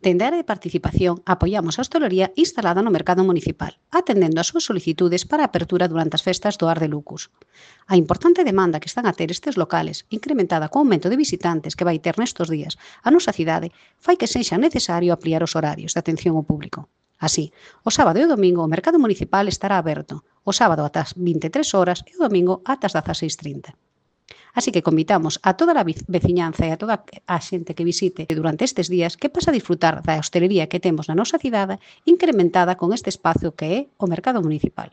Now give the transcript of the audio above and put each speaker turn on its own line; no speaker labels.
Dende a área de participación, apoiamos a hostalería instalada no mercado municipal, atendendo as súas solicitudes para a apertura durante as festas do Ar de Lucus. A importante demanda que están a ter estes locales, incrementada co aumento de visitantes que vai ter nestes días a nosa cidade, fai que sexa necesario ampliar os horarios de atención ao público. Así, o sábado e o domingo o mercado municipal estará aberto, o sábado ata as 23 horas e o domingo ata as 16:30. Así que convitamos a toda a veciñanza e a toda a xente que visite durante estes días que pase a disfrutar da hostelería que temos na nosa cidade incrementada con este espazo que é o mercado municipal.